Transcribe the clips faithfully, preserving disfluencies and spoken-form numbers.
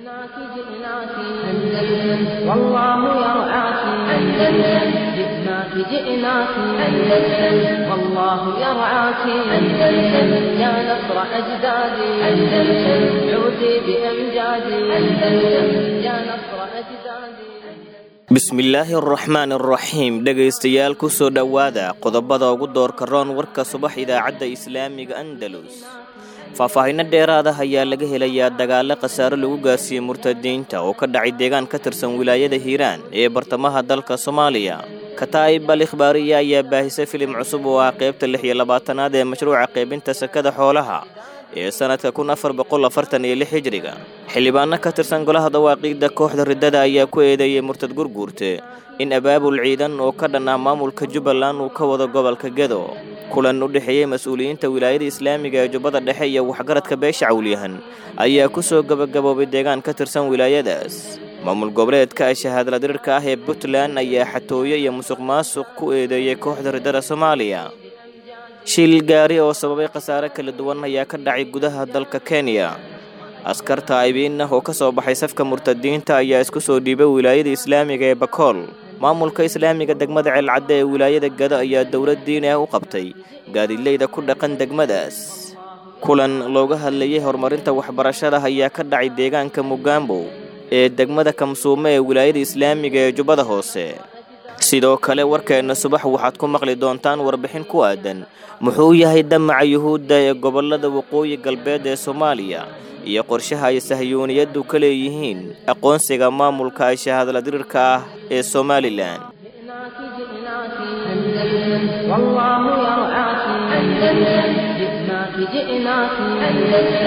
جئناك جئناك أندلس والله يرعاك أندلس جئناك جئناك أندلس والله يرعاك أندلس يا نصر أجدادي أندلس عودي بأمجادي أندلس يا نصر أجدادي. Bismillaahi araxmaan araxiim. Dhegaystayaal, kusoo dhowaada qodobada ugu doorka roon warka subax idaacadda Islaamiga Andalus. Faahfaahinno dheeraada ayaa laga helayaa dagaalo khasaaro lagu gaarsiiyey murtadiinta oo ka dhacay deegaan ka tirsan wilaayada Hiiraan ee bartamaha dalka Soomaaliya. Kataa'ib Al Ikhbaariya ayaa baahisay filim cusub oo ah qaybta lix iyo labaatanaad ee mashruuca qaybinta sakada xoolaha ee sanadka kun afar boqol afartan iyo lix hijriga. Xildhibaano ka tirsan golaha dawaaqiidda kooxda riddada ayaa ku eedeeyey murtad gurguurte in abaabul ciidan oo ka dhan ah maamulka Jubbaland uu ka wado gobolka Gedo. Kulan u dhexeeyey mas-uuliyiinta wilaayada islaamiga ee Jubbada Dhexe iyo waxgaradka beesha Cawlyahan ayaa ku soo gabagaboobay deegaan ka tirsan wilaayadaas. Maamul goboleedka shahaadla dirirka ah ee Puntland ayaa xatooyo iyo musuq maasuq ku eedeeyey kooxda riddada Soomaaliya. Shil gaari oo sababay khasaare kala duwan ayaa ka dhacay gudaha dalka Kenya. Askarta aybiin ah oo ka soo baxay safka murtadiinta ayaa isku soo dhiibay wilaayada islaamiga ee Bakool. Maamulka islaamiga degmada Ceelcadde ee wilaayada Gado ayaa dowlad diini ah u qabtay gaadiidleyda ku dhaqan degmadaas. Kulan looga hadlayay horumarinta waxbarashada ayaa ka dhacay deegaanka Mugambo ee degmada Kamsuume ee wilaayada islaamiga ee Jubbada Hoose. Sidoo kale warkeenna subax waxaad ku maqli doontaan warbixin ku aadan muxuu yahay damaca yuhuudda ee gobollada waqooyi galbeed ee Soomaaliya iyo qorshaha ay sahyuuniyaddu ka leeyihiin aqoonsiga maamulka ay shahaadla dirirka ah ee Somalilan. جئناك جئناك أندلس والله يرعاك أندلس جئناك جئناك أندلس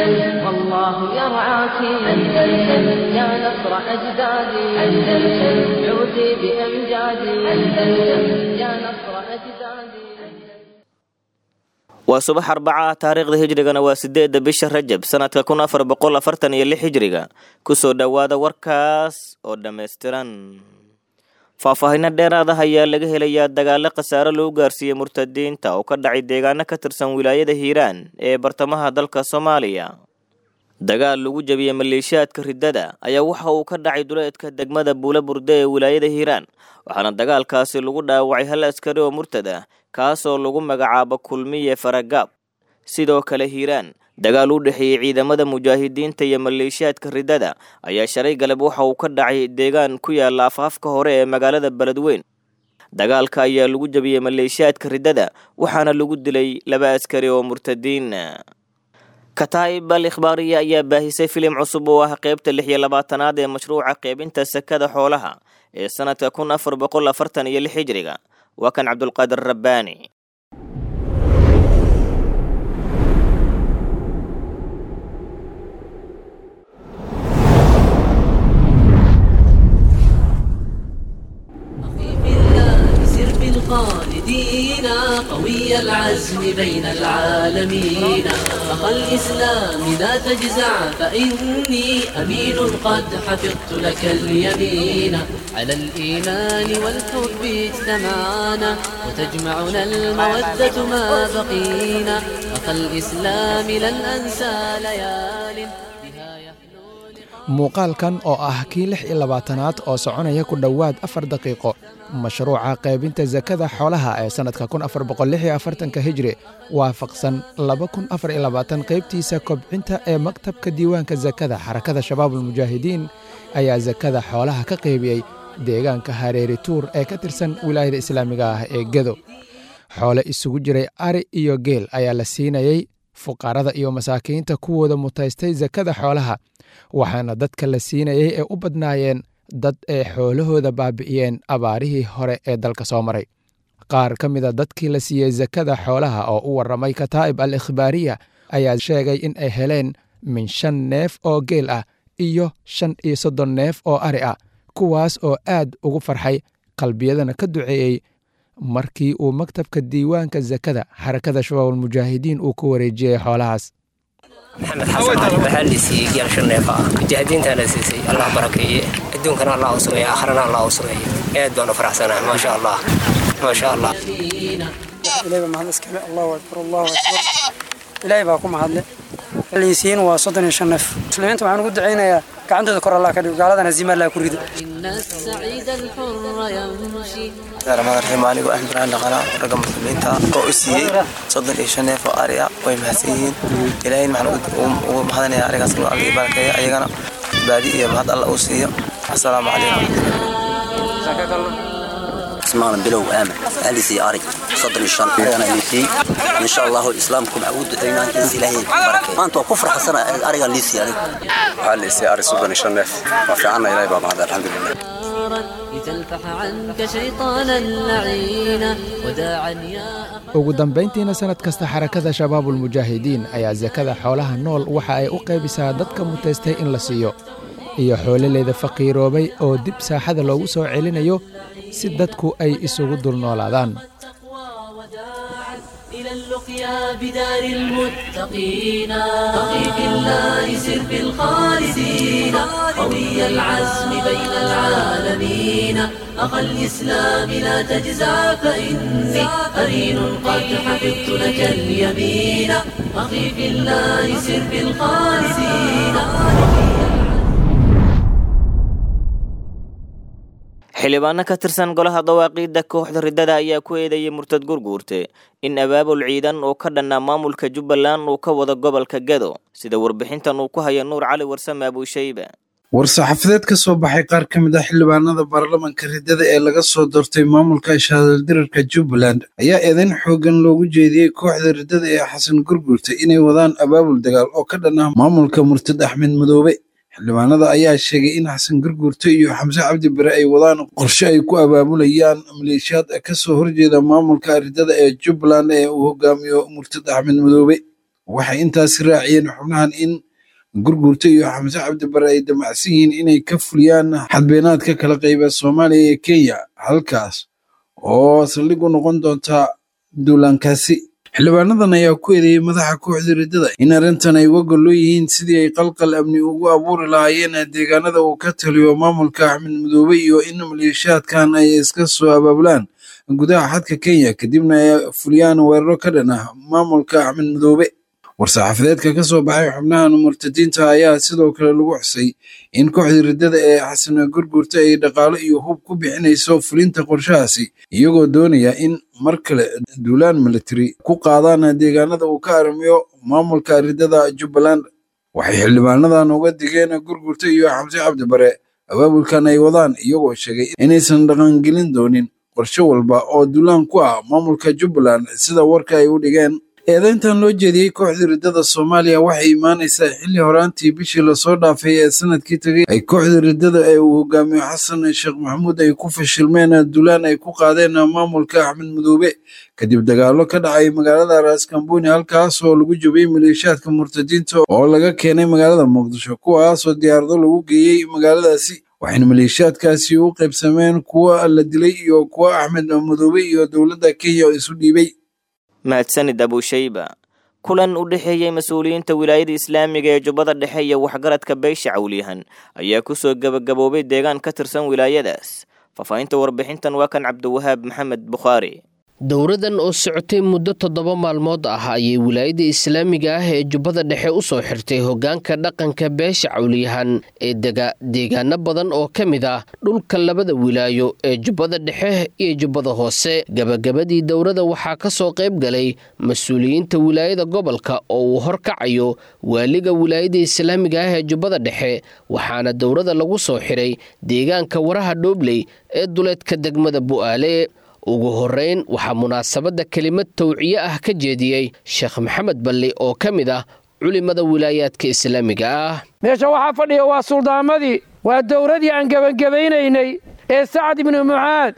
والله يرعاك أندلس يا نصر أجدادي أندلس عودي بأمجادي أندلس يا نصر أجدادي. Waa subax Arbaca ah, taariikhda hijrigana waa sideedda bisha Rajab sanadka kun afar boqol afartan iyo lix hijriga. Kusoo dhowaada warkaas oo dhammaystiran. Faahfaahinno dheeraad ah ayaa laga helayaa dagaalo khasaaro lagu gaarsiiyey murtadiinta oo ka dhacay deegaano ka tirsan wilaayada Hiiraan ee bartamaha dalka Soomaaliya. Dagaal lagu jabiyey maleeshiyaadka riddada ayaa waxa uu ka dhacay duleedka degmada Buula Burde ee wilaayada Hiiraan, waxaana dagaalkaasi lagu dhaawacay hal askari oo murtad ah, kaasoo lagu magacaabo Kulmiye Faragaab. Sidoo kale Hiiraan, dagaal u dhexeeyey ciidamada mujaahidiinta iyo maleeshiyaadka riddada ayaa shalay galab waxa uu ka dhacay deegaan ku yaala afaafka hore ee magaalada Beledweyn. Dagaalka ayaa lagu jabiyey maleeshiyaadka riddada, waxaana lagu dilay laba askari oo murtadiin. Kataa'ib Al Ikhbaariya ayaa baahisay filim cusub oo ah qaybta lix iyo labaatanaad ee mashruuca qaybinta sakada xoolaha ee sanadka kun afar boqol afartan iyo lix hijriga. Waa kan Cabdulqaadir Rabbaani. أخي في الله سر بالخالدين قوي العزم بين العالمين أخا الإسلام لا تجزع فإني أمين قد حفظت لك اليمين على الإيمان والحب اجتمعنا وتجمعنا المودة ما بقينا أخا الإسلام لن أنسى ليال بها يحلو لقاء. Muuqaalkan oo ah kii lix iyo labaatanaad oo soconaya ku dhowaad afar daqiiqo mashruuca qaybinta sakada xoolaha ee sannadka kun afar boqol lix iyo afartanka hijri waafaqsan laba kun afar iyo labaatan qaybtiisa kobcinta ee maktabka diiwaanka sakada xarakada Shabaabulmujaahidiin ayaa sakada xoolaha ka qaybiyey deegaanka Hareeri Tuur ee ka tirsan wilaayada islaamiga ah ee Gedo. Xoole isugu jiray ari iyo geel ayaa la siinayey fuqarada iyo masaakiinta kuwooda mutaystay sakada xoolaha, waxaana dadka la siinayey ee u badnaayeen dad ay xoolahooda baabi'iyeen abaarihii hore ee dalka soo maray. Qaar ka mida dadkii la siiyey sakada xoolaha oo u warramay Kataa'ib Al Ikhbaariya ayaa sheegay in ay heleen min shan neef oo geel ah iyo shan iyo soddon neef oo ari ah, kuwaas oo aad ugu farxay qalbiyadana ka duceeyey markii uu maktabka diiwaanka sakada xarakada Shabaabulmujaahidiin uu ku wareejiyey xoolahaas. Maxamed Xasan Cali, waxaa la siiyey geel shan neef ah. Mujaahidiintaa la siisay, Allah barakeeye, adduunkana Allah u sameeye, aakharana Allah u sameeye. Aad baan u faraxsanahay, maasha Allah, maasha Allah. Ilaahay baa mahad iskale. Allahu akbar, Allahu akbar, Ilaahay baa ku mahadle. Liisiin waa soddon iyo shan neef. Muslimiinta waxaan ugu ducaynayaa Gacantooda kor Allah ka dhigo, gaaladana haziima Allah ku rido. إن السعيد الحر يمشي. Raxmaan raxiim. Anigoo Axmed Ibraahim Dhaqana, ragga muslimiinta oo u siiyey soddon iyo shan neef oo ari ah, way mahadsan yihiin. Ilaahayna waxaan ugu mahadinayaa arigaas inuu Alla ii barakeeyo, ayagana baadi iyo mahad Alla uu siiyo. Assalaamu calaykum. اسمان بلو آمن أهلي سي أري صدر الشان أنا اللي سي إن شاء الله إسلامكم عود دينا إنس إلهي بركة ما أنتوا كفر حسنا أري اللي سي أري. Waxaa la siiyey ari soddon iyo shan neef. Waa fiicanna, Ilaahay baa mahad, alxamdulilah. لتلفح عنك شيطانا لعينا وداعا يا Ugu dambayntiina, sanad kasta Xarakada Shabaabulmujaahidiin ayaa sakada xoolaha nool waxa ay u qaybisaa dadka mutaystay in la siiyo iyo xoolaleeda faqiiroobay oo dib saaxada loogu soo celinayo si dadku ay isugu dul noolaadaan. إلى اللقيا بدار المتقين. أخي في الله، سر بالخالدين، قوي العزم بين العالمين. أخا الإسلام، لا تجزع، فإني قرين قد حفظت لك اليمين. أخي في الله، سر بالخالدين. Xildhibaano ka tirsan golaha dawaaqiidda kooxda riddada ayaa ku eedeeyay murtad Gurguurte in abaabul ciidan oo ka dhannaa maamulka Jubbaland uu ka wado gobolka Gado, sida warbixintan uu ku haya Nuur Cali Warsame Abuushayba. War-saxaafadeed ka soo baxay qaar ka mid ah xildhibaanada baarlamanka riddada ee laga soo doortay maamulka shahaadaldirarka Jubbaland ayaa eedayn xooggan loogu jeediyey kooxda riddada ee Xasan Gurguurte inay wadaan abaabul dagaal oo ka dhan ah maamulka murtad Axmed Madoobe. Xildhibaanada ayaa sheegay in Xasan Gurguurte iyo Xamse Cabdi Bare ay wadaan qorshe ay ku abaabulayaan maleeshiyaad ka soo horjeeda maamulka riddada ee Jubbaland ee uu hogaamiyo murtad Axmed Madoobe. Waxay intaasi raaciyeen xubnahan in Gurguurte iyo Xamse Cabdi Bare ay damacsan yihiin inay ka fuliyaan xadbeenaadka kala qayba Soomaaliya iyo Kenya, halkaas oo saldhig u noqon doonta duulaankaasi. Xildhibaanadan ayaa ku eedeeyey madaxa kooxda riddada in arrintan ay uga gollo yihiin sidii ay qalqal amni ugu abuuri lahaayeen deegaanada uu ka taliyo maamulka Axmed Madoobe, iyo in maleeshiyaadkan ay iska soo abaabulaan gudaha xadka Kenya, kadibna ay fuliyaan weeraro ka dhan ah maamulka Axmed Madoobe. War-saxaafadeedka ka soo baxay xubnahan murtadiinta ayaa sidoo kale lagu xusay in kooxda riddada ee Xasan Gurgurta ay dhaqaalo iyo hub ku bixinayso fulinta qorshahaasi, iyagoo doonaya in mar kale duulaan military ku qaadaan deegaanada uu ka arrimiyo maamulka riddada Jubbaland. Waxay xildhibaanadan uga digeen Gurgurta iyo Xamse Cabdi Bare abaabulkan ay wadaan, iyagoo sheegay inaysan dhaqangelin doonin qorshe walba oo duulaan ku ah maamulka Jubbaland, sida warka ay u dhigeen. Eedeyntan loo jeediyey kooxda riddada Soomaaliya waxay imaanaysaa xilli horaantii bishii lasoo dhaafay ee sanadkii tegay ay kooxda riddada ee uu hogaamiyo Xasan Sheekh Maxamuud ay ku fashilmeen duulaan ay ku qaadeen maamulka Axmed Madoobe, kadib dagaallo ka dhacay magaalada Raaskambooni, halkaas oo lagu jabiyey maleeshiyaadka murtadiinta oo laga keenay magaalada Muqdisho, kuwaasoo diyaarado lagu geeyey magaaladaasi. Waxayna maleeshiyaadkaasi u qaybsameen kuwa la dilay iyo kuwa Axmed Madoobe iyo dowladda Kenya isu dhiibay. Mahadsanid Abuushayba. Kulan u dhexeeyey mas-uuliyiinta wilaayada islaamiga ee Jubbada Dhexe iyo waxgaradka beesha Cawliyahan ayaa kusoo gebagaboobay deegaan ka tirsan wilaayadaas. Faahfaahinta warbixintan waa kan Cabdiwahaab Maxamed Bukhaari. Dowradan oo socotay muddo toddoba maalmood ah ayay wilaayada islaamiga ah ee Jubbada Dhexe u soo xirtay hoggaanka dhaqanka beesha Cawliyahan ee dega deegaano badan oo ka mid ah dhulka labada wilaayo ee Jubbada Dhexe iyo Jubbada Hoose. Gabagabadii dowrada waxaa ka soo qayb galay mas-uuliyiinta wilaayada gobolka oo uu horkacayo waaliga wilaayada islaamiga ah ee Jubbada Dhexe, waxaana dowrada lagu soo xiray deegaanka Waraha Dhoobley ee duleedka degmada Bu'aale. Ugu horeyn waxaa munaasabadda kelimad tawciye ah ka jeediyey Sheekh Maxamed Balli oo ka mid ah culimada wilaayaadka islaamiga ah. Meesha waxaa fadhiya waa suldaamadii, waa dowradii aan gebangebaynaynay ee Sacad ibnu Mucaad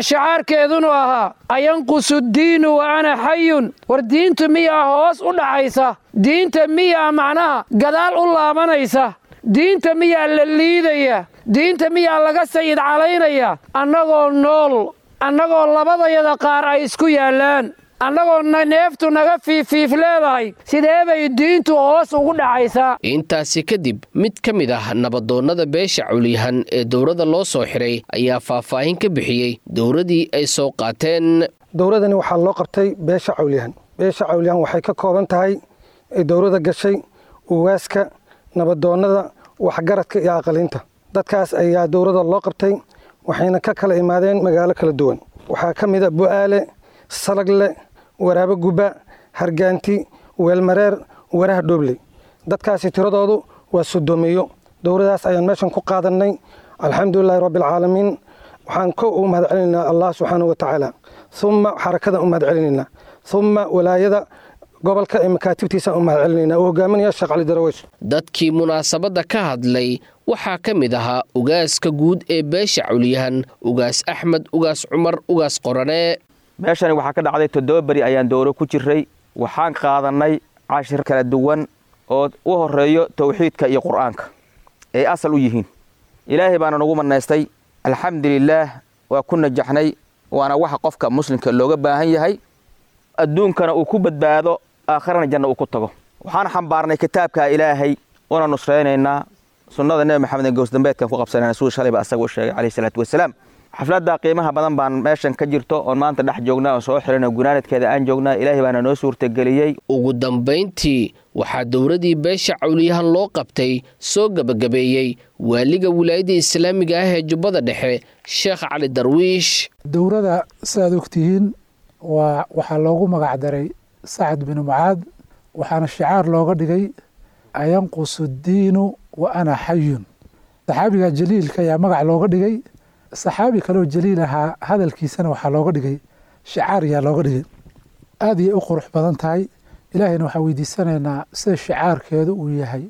shacaarkeedunu ahaa "Ayanqusu diinu wa ana xayun?" War diintu miyaa hoos u dhacaysa? Diinta miyaa macnaha gadaal u laabanaysa? Diinta miyaa la liidaya? Diinta miyaa laga sayid calaynaya annagoo nool, annagoo labadayada qaar ay isku yaallaan, annagoo neeftu naga fiifiif leedahay? Sidee bay diintu hoos ugu dhacaysaa? Intaasi kadib, mid ka mid ah nabadoonnada beesha Cawliyahan ee dowrada loo soo xiray ayaa faahfaahin ka bixiyey dowradii ay soo qaateen. Dowradani waxaa loo qabtay beesha Cawliyahan. Beesha Cawliyahan waxay ka kooban tahay dowrada gashay ugaaska, nabadoonnada, waxgaradka iyo aqalinta. Dadkaas ayaa dowladda loo qabtay, waxayna ka kala imaadeen magaalo kala duwan. Waxaa ka mid a Bu'aale, Salagle, Waraabo Guba, Hargaanti, Weelmareer, Waraha Dhoobley. Dadkaasi tiradoodu waa soddoomiyo. Dowladaas ayaan meeshan ku qaadanay. Alxamdulilaahi rabbilcaalamiin. Waxaan ko u mahad celinaynaa Allah subxaanahu wa tacaala, uma xarakada u mahad celinaynaa, uma walaayada gobolka ee makaatibtiisa u mahad celinaynaa uu hogaaminaya Sheekh Cali Darawish. Dadkii munaasabadda ka hadlay waxaa ka mid ahaa ugaaska guud ee beesha Cawliyahan, Ugaas Axmed Ugaas Cumar Ugaas Qorane. Meeshani waxaa ka dhacday toddoba beri ayaan dowro ku jiray. Waxaan qaadanay cashir kala duwan oo u horeeyo towxiidka iyo qur'aanka ay asal u yihiin. Ilaahay baana nagu manaystay, alxamdulilaah, waa ku najaxnay, waana waxa qofka muslimka looga baahan yahay, adduunkana uu ku badbaado, aakharana janna uu ku tago. Waxaan xambaarnay kitaabka Ilaahay una nusraynaynaa sunnada Nebi Maxamed ee goosdambeedkan ku qabsanayna, siduu shalayba asaga u sheegay calayhi salaatu wasalaam. Xafladda qiimaha badan baan meeshan ka jirto oon maanta dhex joognaa oo soo xiranoo gunaanadkeeda aan joognaa. Ilaahay baana noo suurtageliyey. Ugu dambayntii waxaa dowladii beesha Cawliyahan loo qabtay soo gebagabeeyey waaliga wilaayadda islaamiga ah ee Jubbada Dhexe, Sheekh Cali Darwiish. Dowladda sidaad ogtihiin waa waxaa loogu magac daray Sacad binu Mucaad, waxaana shicaar looga dhigay ayanqusu diinu wa ana xayun. Saxaabiga jaliilka ayaa magac looga dhigay. Saxaabi kaloo jaliil ahaa hadalkiisana waxaa looga dhigay shicaar ayaa looga dhigay. Aad ayay u qurux badan tahay. Ilaahayna waxaan weydiisanaynaa sida shicaarkeedu uu yahay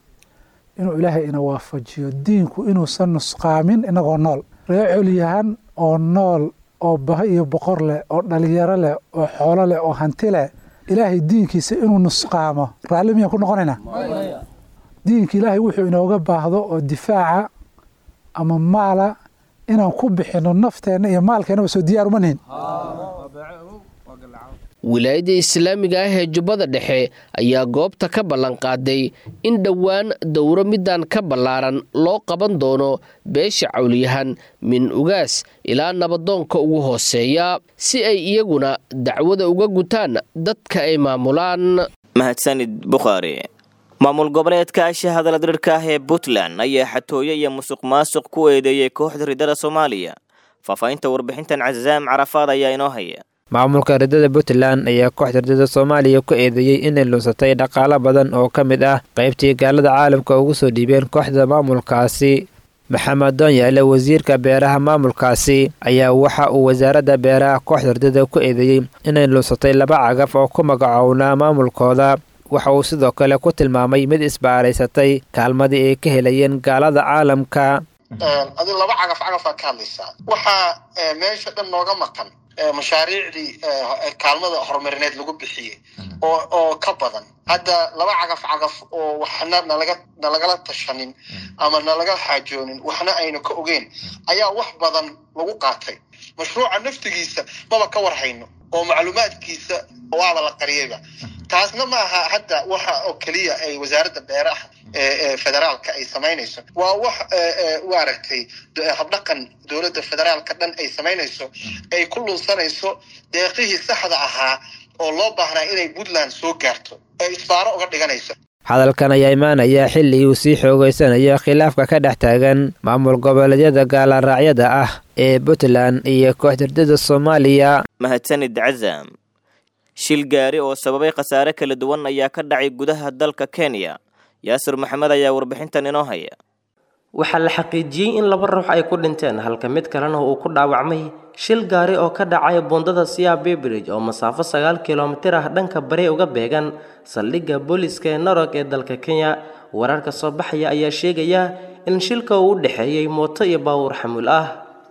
inuu Ilaahay ina waafajiyo diinku inuusan nusqaamin inagoo nool. Reer Cawliyahan oo nool oo baho iyo boqor leh oo dhalinyaro leh oo xoolo leh oo hanti leh, Ilaahay diinkiisa inuu nusqaamo raalli miyaan ku noqonaynaa? Diinka Ilaahay wuxuu inooga baahdo oo difaaca ama maala inaan ku bixino nafteenna iyo maalkeennaba soo diyaar uma nihin. Wilaayadda islaamiga ah ee Jubbada Dhexe ayaa goobta ka ballanqaaday in dhowaan dowro midaan ka ballaaran loo qaban doono beesha Cawliyahan min ugaas ilaa nabadoonka ugu hooseeya, si ay iyaguna dacwada uga gutaan dadka ay maamulaan. Mahadsanid Bukhaari. Maamul goboleedka ashahadala dirirka ah ee Puntland ayaa xatooyo iyo musuq maasuq ku eedeeyey kooxda ridada Soomaaliya. Faahfaahinta warbixintan Cazaam Carafaad ayaa inoo haya. Maamulka ridada Puntland ayaa kooxda ridada Soomaaliya ku eedeeyey inay lunsatay dhaqaalo badan oo ka mid ah qaybtii gaalada caalamka ugu soo dhiibeen kooxda maamulkaasi. Maxamed Doonyaale, wasiirka beeraha maamulkaasi, ayaa waxa uu wasaaradda beeraha kooxda ridada ku eedeeyey inay lunsatay laba cagaf oo ku magacownaa maamulkooda. Waxa uu sidoo kale ku tilmaamay mid isbaaraysatay kaalmadii ay ka helayeen gaalada caalamka. Adi laba cagaf cagafaa ka hadlaysaa, waxaa meesha dhan nooga maqan mashaariicdii kaalmada horumarineed lagu bixiyey oo oo ka badan hadda laba cagaf cagaf oo waxna nalaga nalagala tashanin ama nalaga xaajoonin, waxna aynu ka ogeyn ayaa wax badan lagu qaatay. Mashruuca naftigiisa maba ka warhayno oo macluumaadkiisa waaba la qariyayba. Taasna ma aha hadda waxa oo keliya ay wasaaradda beeraha ee federaalka ay samaynayso, waa wax waaragtay habdhaqan dowladda federaalka dhan ay samaynayso, ay ku lunsanayso deeqihii saxda ahaa oo loo baahnaa inay Puntland soo gaarto, ay isbaaro uga dhiganayso. Hadalkan ayaa imaanaya xilligii uu sii xoogeysanayo khilaafka ka dhex taagan maamul goboleedyada gaalaraacyada ah ee Puntland iyo kooxda ridada Soomaaliya. Mahadsanid Cazaam. Shil gaari oo sababay khasaare kala duwan ayaa ka dhacay gudaha dalka Kenya. Yaasir Maxamed ayaa warbixintan inoo haya. Waxaa la xaqiijiyey in laba ruux ay ku dhinteen halka mid kalena uu ku dhaawacmay shil gaari oo ka dhacay buundada Siabe Bridge oo masaafo sagaal kilomitir ah dhanka bari uga beegan saldhigga booliiska ee Narok ee dalka Kenya. Wararka soo baxaya ayaa sheegaya in shilka uu u dhexeeyey mooto iyo baabuur xamuul ah.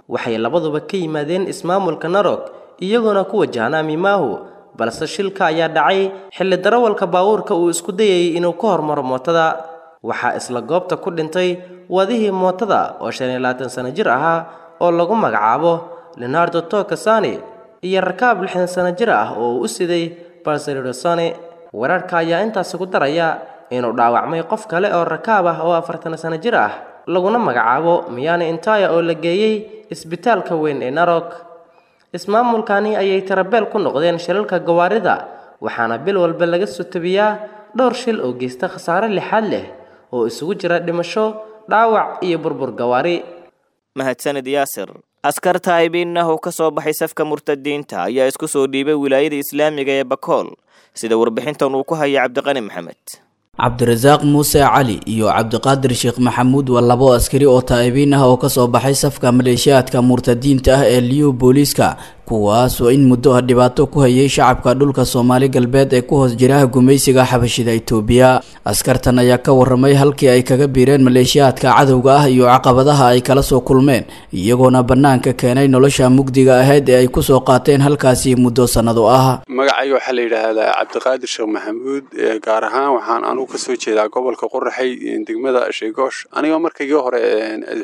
Waxay labaduba ka yimaadeen ismaamulka Narok iyagoona ku wajahnaa Mimahu, balse shilka ayaa dhacay xilli darawalka baabuurka uu isku dayayay inuu ka hormaro mootada. Waxaa isla goobta ku dhintay wadihii mootada oo shan iyo labaatan sano jir ahaa oo lagu magacaabo Leonardo Tokasani iyo rakaab lixdan sano jir ah oo uu u siday Barcelona. Wararka ayaa intaasi ku daraya inuu dhaawacmay qof kale oo rakaab ah oo afartan sano jir ah laguna magacaabo Miyane Intaya oo la geeyey isbitaalka weyn ee Narok. Ismaamulkani ayay tarabeel ku noqdeen shilalka gawaarida, waxaana bil walba laga soo tabiyaa dhowr shil oo geysta khasaare lixaad leh oo isugu jira dhimasho, dhaawac iyo burbur gawaari. Mahadsanid Yaasir. Askar taa'ibiin ah oo ka soo baxay safka murtadiinta ayaa isku soo dhiibay wilaayada islaamiga ee Bakool, sida warbixintan uu ku haya Cabdiqani Maxamed. Cabdirasaaq Muuse Cali iyo Cabdiqaadir Sheekh Maxamuud waa labo askari oo taa'ibiin ah oo ka soo baxay safka maleeshiyaadka murtadiinta ah ee Liyu booliiska, kuwaas oo in muddo ah dhibaato ku hayay shacabka dhulka Soomaali galbeed ee ku hoos jira gumaysiga xabashida Itoobiya. Askartan ayaa ka warramay halkii ay kaga biireen maleeshiyaadka cadowga ah iyo caqabadaha ay kala soo kulmeen, iyagoona bannaanka keenay nolosha mugdiga ahayd ee ay ku soo qaateen halkaasi muddo sannado ah. Magacayga waxaa la yidhaahdaa Cabdiqaadir Sheekh Maxamuud, gaar ahaan waxaan anugu ka soo jeedaa gobolka Qoraxay, degmada Sheegoosh. Anigoo markaygii hore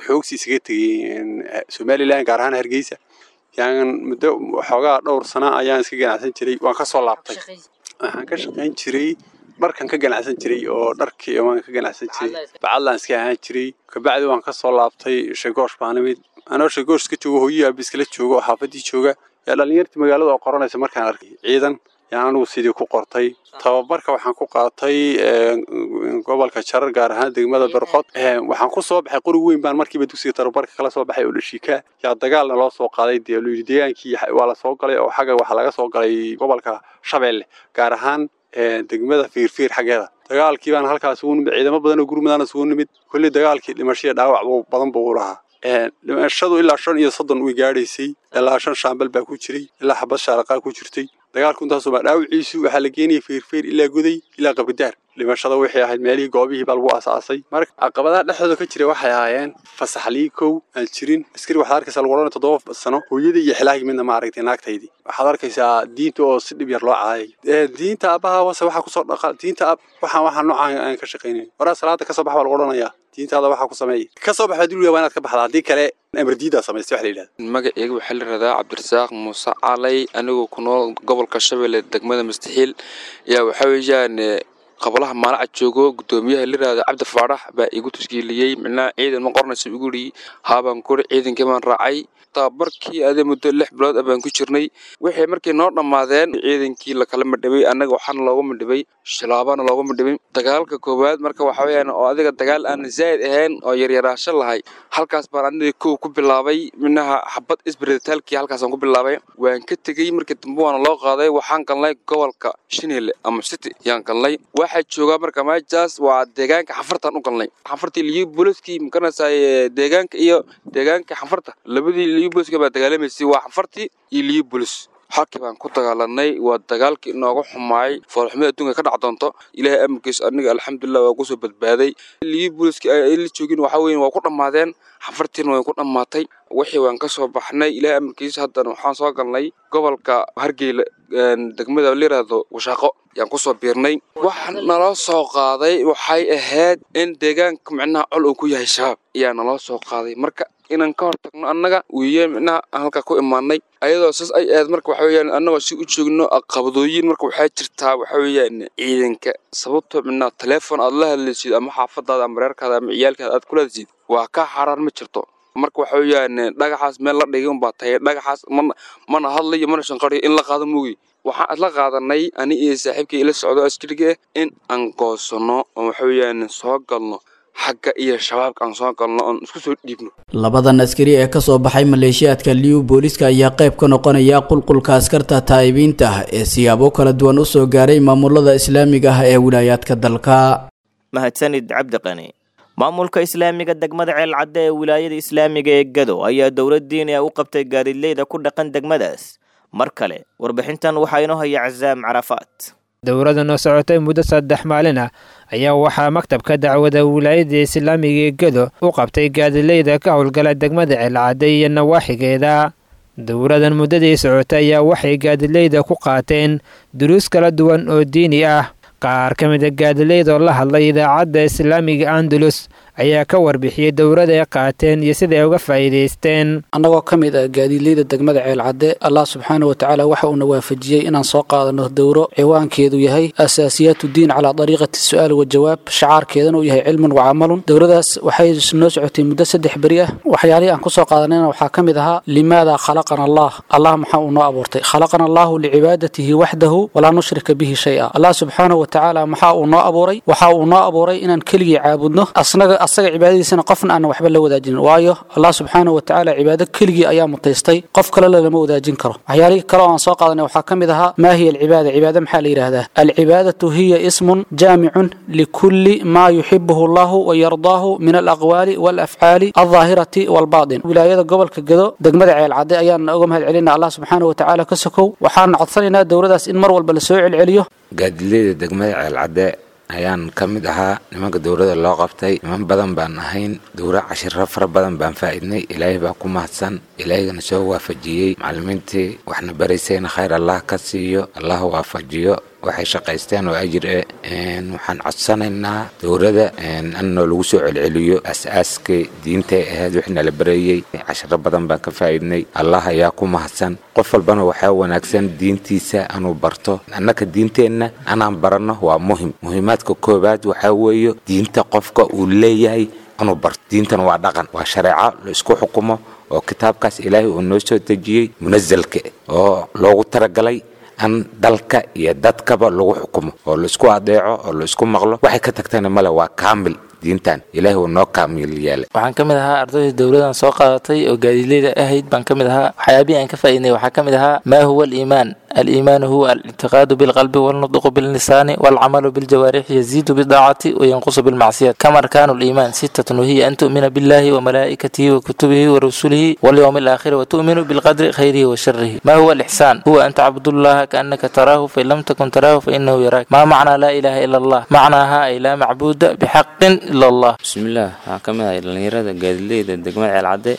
xoogsi isaga tegey Somaliland, gaar ahaan Hargeysa, yaan muddo xoogaa dhowr sano ayaan iska ganacsan jiray. Waan ka soo laabtay. Waxaan ka shaqayn jiray dharkan ka ganacsan jiray oo dharkii waan ka ganacsan jiray, bacadlaan iska ahaan jiray. Kabacdi waan ka soo laabtay, Sheegoosh baan imid. Anoo Sheegoosh iska joogo, hooyihii aabbi iskala joogo oo xaafadii jooga, yaa dhallinyartii magaalada oo qoranaysa markaan arkay ciidan, yaan anigu sidii ku qortay. Tababarka waxaan ku qaatay gobolka Jarar, gaar ahaan degmada Barqod. Waxaan ku soo baxay qori weyn baan markiiba dugsiga tababarka kala soo baxay oo dhashiika. Yaa dagaalna loo soo qaaday, dee loo yidhi deegaankii waa la soo galay oo xagga waxaa laga soo galay gobolka Shabeelle, gaar ahaan degmada Fiirfiir xaggeeda. Dagaalkii baan halkaas ugu nimid, ciidamo badan oo gurmadaan isugu nimid. Kulli dagaalkii dhimashada dhaawac badan buu u lahaa. Dhimashadu ilaa shan iyo soddon way gaadhaysay, ilaa shan shaambal baa ku jiray, ilaa xabad shaaraqaa ku jirtay. Dagaalku intaasoo baa dhaawaciisu waxaa la geenayay Fiirfiir ilaa Goday ilaa Qabridaar. Dhimashada waxay ahayd meelihii goobihii baa lagu aasaasay. Marka caqabadaha dhexdooda ka jiray waxay ahaayeen fasaxlii kow aan jirin. Askari waxaad arkaysaa lagu odhanay toddoba sano hooyadii iyo xilaahii midna ma aragtay naagtaydii. Waxaad arkaysaa diinta oo si dhib yar loo caayay. Diinta aabbaha wase waxaa kusoo dhaqa diinta ab waxaan waxaan noocaan aan ka shaqaynayn. Waraa salaada ka soo bax baa lagu odhanayaa, diintaada waxaa ku sameeyay ka soo bax baa waa inaad ka baxdaa, haddii kale amar diidaa samaystay wax la yidhahda. Magacayga waxaa la yidhahdaa Cabdirasaaq Muuse Calay, anigoo ku nool gobolka Shabeelle degmada Mustaxiil. Yaa waxaa weeyaan qabalaha maalaca joogo gudoomiyaha la yidhahdo Cabdi Faarax baa igu tashkiiliyey, micnaha ciidan ma qoranaysa igu yidhi, haabaan kori ciidankii baan raacay. Tababarkii adee muddo lix bilood ah baan ku jirnay. Waxay markii noo dhammaadeen ciidankii lakala madhibay, annaga waxaana looga madhibay shilaabana looga madhibay. Dagaalka koowaad marka waxa weeyaan oo adiga dagaal aan zaa'id ahayn oo yaryaraasho lahay, halkaas baan aniga kow ku bilaabay, minaha xabad isbiritaalkii halkaasaan ku bilaabay. Waan ka tegey markii dambe waana loo qaaday, waxaan galnay gobolka Shinile ama City yaan galnay. Waxaa joogaa marka meeshaas waa deegaanka xafartaan u galnay, xafartii liyu booliskii makaranaysay deegaanka iyo deegaanka xafarta labadii liyu booliska baa dagaalamaysay, waa xafartii iyo liyu boolis. Halkii baan ku dagaalanay, waa dagaalkii inooga xumaayay foolxumada adduunka ka dhac doonto. Ilaahay amarkiisa aniga alxamdulilah waa kusoo badbaaday. Liyu booliskii ay la joogin waxaa weeye waa ku dhammaadeen, xafartiina way ku dhammaatay. Wixii waan ka soo baxnay ilaahay amarkiisa, haddana waxaan soo galnay gobolka Hargeyla degmada la yiraahdo Washaaqo yaan kusoo biirnay. Waxa naloo soo qaaday waxay ahayd in deegaanka micnaha col uu ku yahay shabaab ayaa naloo soo qaaday. Marka inaan ka hortagno annaga wiiye micnaha halka ku imaanay ayadoo saas ay ahayd. Marka waxa weeyaan annagoo si u joogno qabadooyin, marka waxaa jirtaa waxa weeyaan ciidanka sababtoo micnaha telefoon aad la hadlaysid ama xaafadaada ama reerkaada ama ciyaalkaada aad kula hadlaysid waa ka xaaraan ma jirto. Marka waxa weeyaan dhagaxaas meel la dhigay unbaa tahay, dhagaxaas mana mana hadlayo mana shanqariyo in la qaado moogi. Waxaan isla qaadanay ani iyo saaxiibkii ila socdo askariga in aan goosano oo waxa weeyaan soo galno xagga iyo shabaabka aan soo galno oon isku soo dhiibno. Labadan askari ee ka soo baxay maleeshiyaadka Liyu booliiska ayaa qayb ka noqonaya qulqulka askarta taa'ibiinta ah ee siyaabo kala duwan u soo gaaray maamulada islaamiga ah ee wilaayaadka dalka. Mahadsanid Cabdiqani. Maamulka islaamiga degmada Ceelcadde ee wilaayada islaamiga ee Gado ayaa dowlad diini ah u qabtay gaadiidleyda ku dhaqan degmadaas. Mar kale warbixintan waxaa inoo haya Cazaam Carafaat. Dowladdan oo socotay muddo saddex maalin ah ayaa waxaa maktabka dacwada wilaayada islaamiga ee Gado u qabtay gaadiidleyda ka howlgala degmada Ceelcadde iyo nawaaxigeeda. Dowladdan muddadii socotay ayaa waxay gaadiidleyda ku qaateen duruus kala duwan oo diini ah. Qaar ka mid a gaadiidleyda oo la hadlay idaacadda islaamiga Andalus ayaa ka warbixiyey dowladda ay qaateen iyo sida ay uga faa'iidaysteen. Annagoo ka mid ah gaadiidleyda degmada Ceelcadde, Allah subxaanahu wa tacaala waxa uuna waafajiyey inaan soo qaadano dowro ciwaankeedu yahay asaasiyaatu diin calaa dariiqati su'aal wa jawaab, shacaarkeedana uu yahay cilmun wa camalun. Dowladaas waxay noo socotay muddo saddex beri ah. Waxyaalihii aan ku soo qaadanayna waxaa ka mid ahaa limaada khalaqana Allah, Allah maxaa uu noo abuurtay? Khalaqana Allahu licibaadatihi waxdahu walaa nushrika bihi shay-a. Allah subxaanahu wa tacaala maxaa uu noo abuuray? Waxa uu noo abuuray inaan keligii caabudno, asnaga Asaga cibaadadiisana qofna aan waxba la wadaajin, waayo Allah subxaanahu wa tacaala cibaado keligii ayaa mutaystay, qof kale lama wadaajin karo. Waxyaalihii kale oo aan soo qaadanay waxaa ka mid ahaa maa hiya alcibaada, cibaado maxaa la yidhaahdaa? Alcibaadatu hiya ismun jaamicun likulli maa yuxibuhu allahu wayardaahu min alaqwaali waalafcaali aldaahirati waalbaatin. Wilaayada gobolka Gedo, degmada Ceelcadde ayaan uga mahad celinaa Allah subxaanahu wa tacaala ka sokow. Waxaan codsanaynaa dowladaas in mar walba la soo celceliyo. Gaadiidleyda degmada Ceelcadde ayaan ka mid ahaa nimanka dowladda loo qabtay. Niman badan baan ahayn, dowra cashiro fara badan baan faa'iidnay. Ilaahay baa ku mahadsan, ilaahayna soo waafajiyey. Macallimiintii waxna baraysayna khayr Allah ka siiyo, Allah waafajiyo waxay shaqaysteen oo ajir eh. Waxaan codsanaynaa dowladda in lagu soo celceliyo as-aaskii diintay ahayd wixii nala barayey. Cashiro badan baan ka faa'iidnay, Allah ayaa ku mahadsan. Qof walbana waxaa wanaagsan diintiisa inuu barto. Annaka diinteenna anaan baranno waa muhim. Muhiimaadka koowaad waxaa weeye diinta qofka uu leeyahay inuu barto. Diintan waa dhaqan, waa shareeco la isku xukumo oo kitaabkaas Ilaahay uu noo soo dejiyey, munasalka oo loogu talagalay an dalka iyo dadkaba lagu xukumo oo la isku adeeco oo la isku maqlo. Waxay ka tagtana male, waa kaamil diintan, Ilaahay uu noo kaamil yeelay. Waxaan ka mid ahaa ardaydii dowladan soo qaadatay oo gaadiidleyda ahayd baan ka mid ahaa. Waxyaabihii aan ka faa'iidnay waxaa ka mid ahaa maa huwa aliimaan. Aliimaanu huwa alictiqaadu bilqalbi walnutqu billisaani walcamalu biljawaarixi, yaziidu bidaacati wayanqusu bilmacsiyat. Kam arkaanu liimaan? Sittatun, wahiya an tu'mina billahi wamalaa'ikatihi wakutubihi warusulihi walyowmi alaakhiri watu'minu bilqadri khayrihi wa sharihi. Ma huwa alixsaan? Huwa an tacbudullaha kaannaka taraahu, fain lam takun taraahu fainahu yaraak. Maa macnaa laa ilaaha ila Allah? Macnaaha ay laa macbuuda bixaqin ila Allah. Bismillaah, waxaan ka mid ahay dhallinyarada gaadiidleyda degmada Ceelcadde.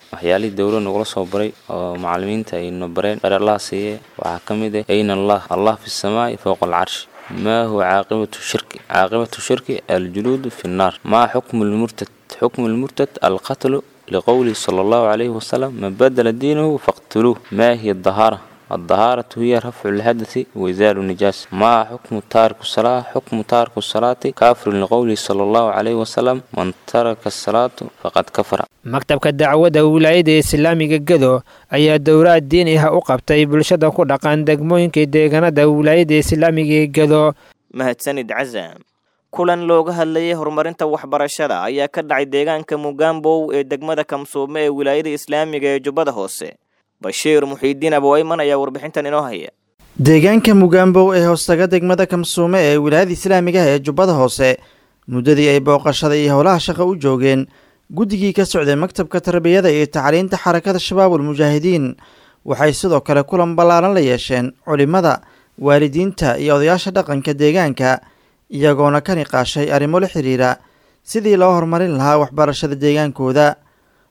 Waxyaalihii dowlad nagula soo baray oo macallimiinta ay no bareen khayr Allah siiye waxaa ka mid ah ayna Allah, Allah fi samaa'i fowqa alcarshi. Maa huwa caaqibatu shirki? Caaqibatu shirki aljuluudu fi nnaar. Maa xukmu lmurtad? Xukmu lmurtad alqatlu, liqowlihi sala allahu calayhi wasalam: man badala diinahu faqtuluuh. Maa hiya adahaara? الطهارة هي رفع الحدث وإزال النجاسة. ما حكم تارك الصلاة؟ حكم تارك الصلاة كافر، لقوله صلى الله عليه وسلم: من ترك الصلاة فقد كفر. Maktabka dacwadda wilaayada islaamiga Gedo ayaa dowraad diini ah u qabtay bulshada ku dhaqan degmooyinka deegaanada wilaayada islaamiga ee Gedo. Mahadsanid Cazaam. Kulan looga hadlayay horumarinta waxbarashada ayaa ka dhacay deegaanka Mugambow ee degmada Kamsuume ee wilaayada islaamiga ee Jubbada Hoose. Bashiir Muxiidiin Abowayman ayaa warbixintan inoo haya. Deegaanka Mugambow ee hoostaga degmada Kamsuume ee wilaayada islaamiga ah ee Jubbada Hoose, muddadii ay booqashada iyo howlaha shaqa u joogeen guddigii ka socday maktabka tarbiyada iyo tacliinta xarakada Shabaabul Mujaahidiin, waxay sidoo kale kulan ballaaran la yeesheen culimmada, waalidiinta iyo odayaasha dhaqanka deegaanka, iyagoona ka niqaashay arrimo la xiriira sidii loo horumarin lahaa waxbarashada deegaankooda.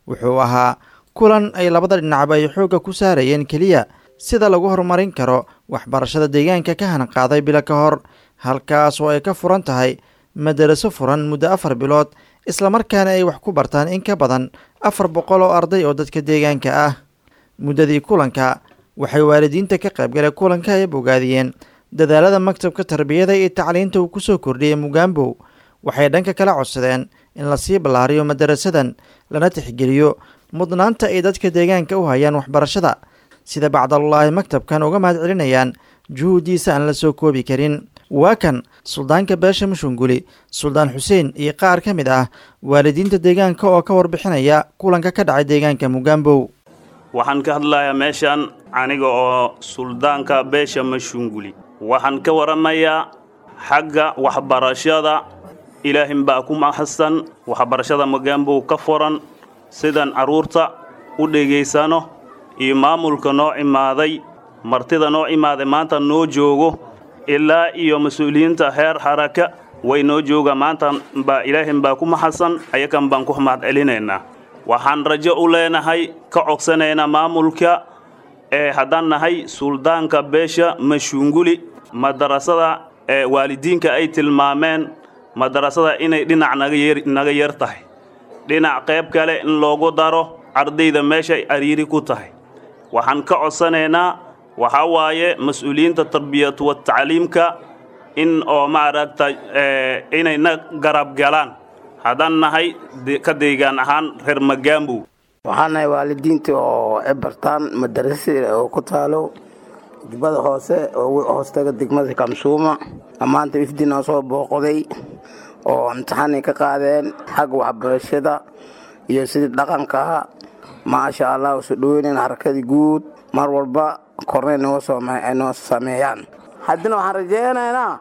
Wuxuu ahaa kulan ay labada dhinacba ay xoogga ku saarayeen keliya sida lagu horumarin karo waxbarashada deegaanka ka hanqaaday bilo ka hor, halkaas oo ay ka furan tahay madaraso furan muddo afar bilood, islamarkaana ay wax ku bartaan in ka badan afar boqol oo arday oo dadka deegaanka ah. Muddadii kulanka waxay waalidiinta ka qaybgalay kulanka ay bogaadiyeen dadaalada maktabka tarbiyada iyo tacliinta uu ku soo kordhiyey Mugambow. Waxay dhanka kala codsadeen in lasii ballaariyo madarasadan, lana tixgeliyo mudnaanta ay dadka deegaanka u hayaan waxbarashada, sida bacdalullaahi maktabkan uga mahad celinayaan juhuuddiisa aan la soo koobi karin. Waa kan suldaanka beesha Mushunguli, Suldaan Xuseen, iyo qaar ka mid ah waalidiinta deegaanka oo ka warbixinaya kulanka ka dhacay deegaanka Mugambow. Waxaan ka hadlayaa meeshan aniga oo suldaanka beesha Mashunguli. Waxaan ka waramayaa xagga waxbarashada. Ilaahin baa ku mahadsan waxbarashada Mugambow ka furan, sidan carruurta u dhegaysano iyo maamulka noo imaaday, martida noo imaaday maanta noo joogo, ilaa iyo mas-uuliyiinta heer xaraka way noo jooga maanta baa Ilaahin baa ku mahadsan, ayakan baan ku mahad celinaynaa. Waxaan rajo u leenahay, ka codsanaynaa maamulka ee haddaan nahay suldaanka beesha Mashunguli, madarasada ee waalidiinka ay tilmaameen madarasada inay dhinac naga yeer naga yar tahay, dhinac qayb kale in loogu daro ardayda meeshay ariiri ku tahay. Waxaan ka codsanaynaa waxaa waaye mas-uuliyiinta tarbiyad wa tacliimka in oo maaragta inay na garab galaan haddaan nahay ka deegaan ahaan reer Magambow. Waxaan nahay waalidiinta oo ay bartaan madarasada oo ku taalo Jubbada Hoose oo hoostaga degmada Kamsuuma. Maanta ifdinaa soo booqday Oo imtixaanay ka qaadeen xagga waxbarashada iyo sidii dhaqanka. Maasha Allah, usu dhoweynayn xarakadii guud, mar walba kornay noo noo sameeyaan. Haddana waxaan rajaynaynaa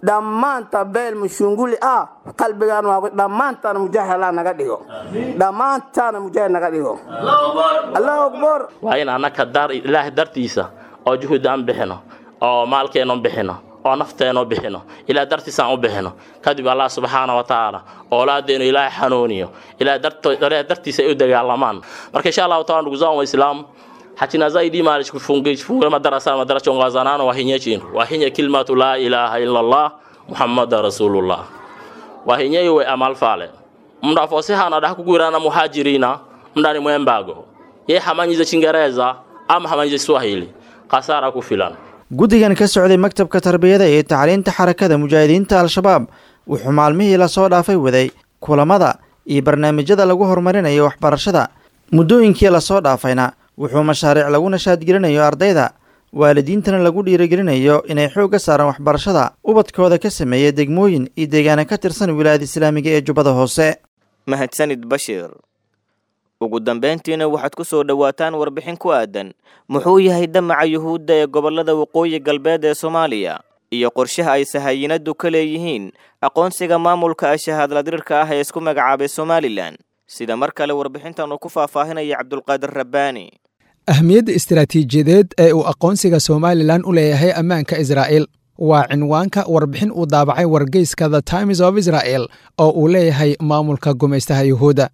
dhammaanta beel mushunguli ah qalbigaan waa dhammaantaana mujaahid Allah naga dhigo, dhammaantaana mujaahid naga dhigo. Allahu akbar. Waa in annaka dar Ilaahay dartiisa oo juhud aan bixino, oo maalkeenu bixino, oo nafteenu bixino, Ilaah dartiisa aan u bixino. Kadib Allah subxaana wa tacaala oolaadeenu Ilaahay xanuuniyo, Ilaah dartiisa ay u dagaalamaan. Marka insha Allahu taala, ndugu zangu Waislamu, hachina zaidi mali kufunga kufunga madarasa madarasa ongazanano wahinye chintu wahinye kilmatu la ilaha illa Allah Muhammad rasulullah, wahinye iwe amal fale mndu afosehana adaha kugwirana muhajirina mndani mwembago ye hamanyize Chingereza ama hamanyize Swahili kasara kufilana. Guddigan ka socday maktabka tarbiyada iyo tacliinta xarakada mujaahidiinta Al-Shabaab wuxuu maalmihii lasoo dhaafay waday kulamada iyo barnaamijyada lagu horumarinayo waxbarashada. Muddooyinkii lasoo dhaafayna wuxuu mashaariic lagu nashaadgelinayo ardayda, waalidiintana lagu dhiirigelinayo inay xoogga saaraan waxbarashada ubadkooda ka sameeya degmooyin iyo deegaana ka tirsan wilaayada islaamiga ee Jubbada Hoose. Mahadsanid Bashiir. Ugu dambeyntiina waxaad ku soo dhowaataan warbixin ku aadan muxuu yahay damaca Yuhuudda ee gobollada waqooyi galbeed ee Soomaaliya iyo qorshaha ay sahaayinadu ka leeyihiin aqoonsiga maamulka ashahaadladirirka ah ee isku magacaabay Somalilan, sida mar kale warbixintan uu ku faahfaahinaya Cabdulqaadir Rabbaani. Ahmiyadda istiraatiijiyadeed ee uu aqoonsiga Somalilan u leeyahay ammaanka Israa'iil waa cinwaanka warbixin uu daabacay wargeyska The Times of Israel oo uu leeyahay maamulka gumaystaha Yuhuudda.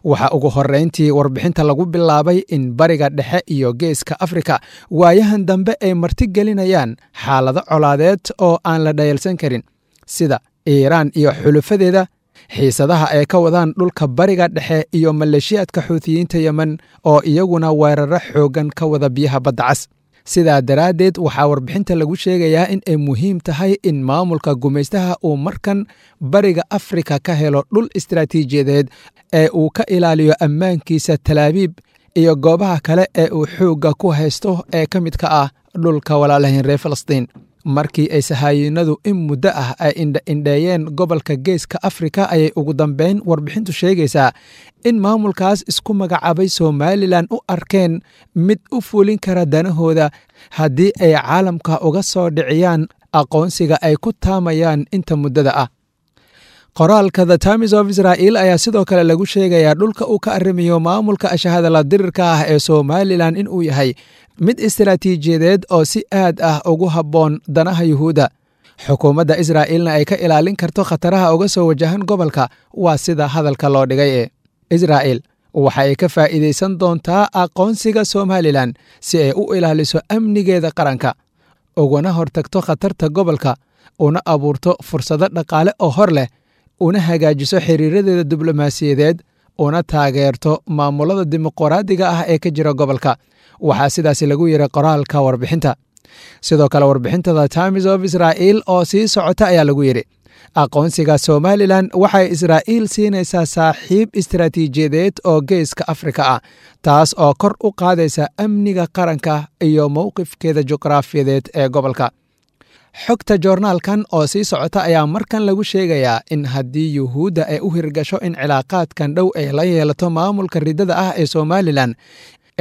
Waxaa ugu horrayntii warbixinta lagu bilaabay in Bariga Dhexe iyo Geeska Afrika waayahan dambe ay martigelinayaan xaalado colaadeed oo aan la dhayalsan karin, sida Iiraan iyo xulufadeeda, xiisadaha ay ka wadaan dhulka Bariga Dhexe iyo maleeshiyaadka Xuutiyiinta Yemen oo iyaguna weeraro xooggan ka wada biyaha Badda Cas. Sidaa daraaddeed waxaa warbixinta lagu sheegayaa in ay muhiim tahay in maamulka gumaystaha uu markan Bariga Afrika ka helo dhul istiraatiijiyadeed ee uu ka ilaaliyo ammaankiisa Talaabiib iyo goobaha kale ee uu xoogga ku haysto ee ka midka ah dhulka walaalahayn reer Falastiin. Markii ay sahaayinadu in muddo ah ay indha-indheeyeen gobolka Geeska Afrika ayay ugu dambeyn warbixintu sheegaysaa in maamulkaas isku magacaabay Somalilan u arkeen mid u fulin kara danahooda haddii ay caalamka uga soo dhiciyaan aqoonsiga ay ku taamayaan inta muddada ah. Qoraalka The Times of Israel ayaa sidoo kale lagu sheegayaa dhulka uu ka arrimiyo maamulka ashahadala dirirka ah ee Somalilan in uu yahay mid istiraatiijiyadeed oo si aad ah ugu habboon danaha Yuhuudda, xukuumadda Israa'iilna ay ka ilaalin karto khataraha uga soo wajahan gobolka. Waa sida hadalka loo dhigay ee Israa'iil waxa ay ka faa'iidaysan doontaa aqoonsiga Somalilan si ay u ilaaliso amnigeeda qaranka, ugana hortagto khatarta gobolka, una abuurto fursado dhaqaale oo hor leh, una hagaajiso xiriiradeeda diblomaasiyadeed, una taageerto maamulada dimuqraadiga ah ee ka jira gobolka. Waxaa sidaasi lagu yiri qoraalka warbixinta. Sidoo kale warbixinta The Times of Israel oo sii socota ayaa lagu yidhi aqoonsiga Somalilan waxay Israa'iil siinaysaa saaxiib istiraatiijiyadeed oo Geeska Afrika ah, taas oo kor u qaadaysa amniga qaranka iyo mowqifkeeda juqraafiyadeed ee gobolka. Xogta joornaalkan oo sii socota ayaa markan lagu sheegayaa in haddii Yuhuudda ay u hirgasho in cilaaqaadkan dhow ay la yeelato maamulka riddada ah ee Somalilan,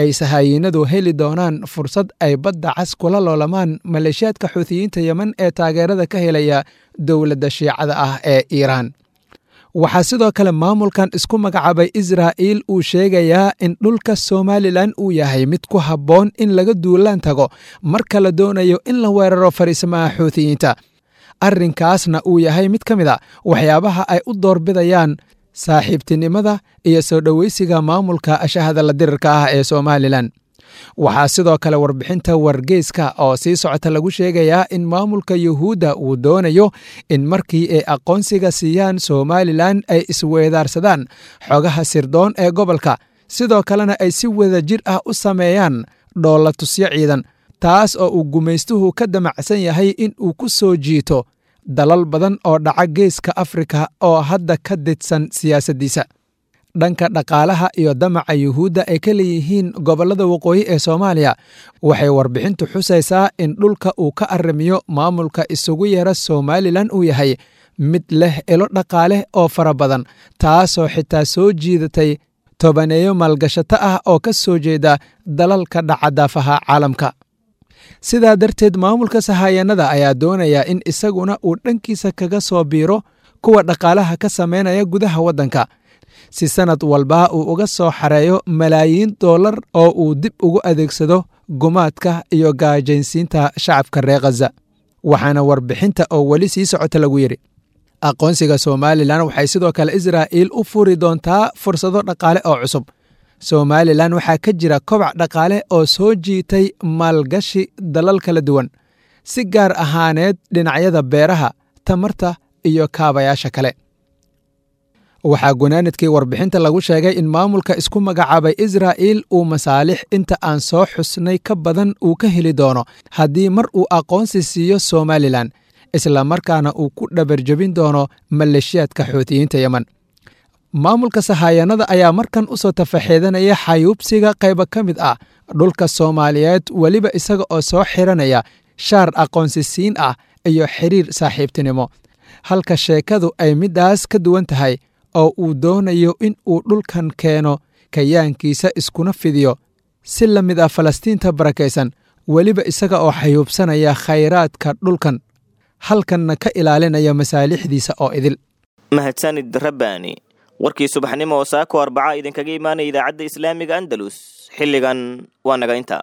ay sahaayinadu heli doonaan fursad ay Badda Cas kula loolamaan maleeshiyaadka Xuutiyiinta Yemen ee taageerada ka helaya dowladda Shiicada ah ee Iiraan. Waxaa sidoo kale maamulkan isku magacaabay Israa'iil uu sheegayaa in dhulka Somalilan uu yahay mid ku habboon in laga duulaan tago marka la doonayo in la weeraro fariismaha Xuutiyiinta, arrinkaasna uu yahay mid ka mid a waxyaabaha ay u doorbidayaan saaxiibtinimada iyo soo dhoweysiga maamulka ashahada la dirirka ah ee Somalilan. Waxaa sidoo kale warbixinta wargeyska oo sii socota lagu sheegayaa in maamulka Yuhuudda uu doonayo in markii ay aqoonsiga siiyaan Somalilan ay isweedaarsadaan xogaha sirdoon ee gobolka, sidoo kalena ay si wadajir ah u sameeyaan dhoolatusyo ciidan, taas oo uu gumaystuhu ka damacsan yahay in uu ku soo jiito dalal badan oo dhaca Geeska Afrika oo hadda ka didsan siyaasaddiisa. Dhanka dhaqaalaha iyo damaca Yuhuudda ay ka leeyihiin gobollada waqooyi ee Soomaaliya, waxay warbixintu xusaysaa in dhulka uu ka arrimiyo maamulka isugu yeera Somalilan uu yahay mid leh ilo dhaqaale oo fara badan, taasoo xitaa soo jiidatay tobaneeyo maalgashato ah oo ka soo jeeda dalalka dhacadaafaha caalamka. Sidaa darteed, maamulka sahaayanada ayaa doonaya in isaguna uu dhankiisa kaga soo biiro kuwa dhaqaalaha ka samaynaya gudaha waddanka, si sanad walba uu uga soo xareeyo malaayiin dollar oo uu dib ugu adeegsado gumaadka iyo gaajaynsiinta shacabka reer Khaza. Waxaana warbixinta oo weli sii socota lagu yidhi, aqoonsiga Somalilan waxay sidoo kale Israa'iil u furi doontaa fursado dhaqaale oo cusub. Somalilan waxaa ka jira kobac dhaqaale oo soo jiitay maalgashi dalal kala duwan, si gaar ahaaneed dhinacyada beeraha, tamarta iyo kaabayaasha kale. Waxaa gunaanadkii warbixinta lagu sheegay in maamulka isku magacaabay Israa'iil uu masaalix inta aan soo xusnay ka badan uu ka heli doono haddii mar uu aqoonsi siiyo Somalilan, islamarkaana uu ku dhabarjebin doono maleeshiyaadka Xuutiyiinta Yemen. Maamulka sahaayanada ayaa markan u soo tafaxeedanaya xayuubsiga qaybo ka mid ah dhulka Soomaaliyeed, weliba isaga oo soo xiranaya shaar aqoonsi siin ah iyo xiriir saaxiibtinimo, halka sheekadu ay middaas ka duwan tahay oo uu doonayo in uu dhulkan keeno kayaankiisa iskuna fidiyo si la mid ah Falastiinta barakaysan, weliba isaga oo xayuubsanaya khayraadka dhulkan, halkanna ka ilaalinaya masaalixdiisa oo idil. Mahadsanid Rabbaani. Warkii subaxnimo oo saako arbaca idinkaga imaanaya idaacadda islaamiga Andalus xilligan waa naga inta.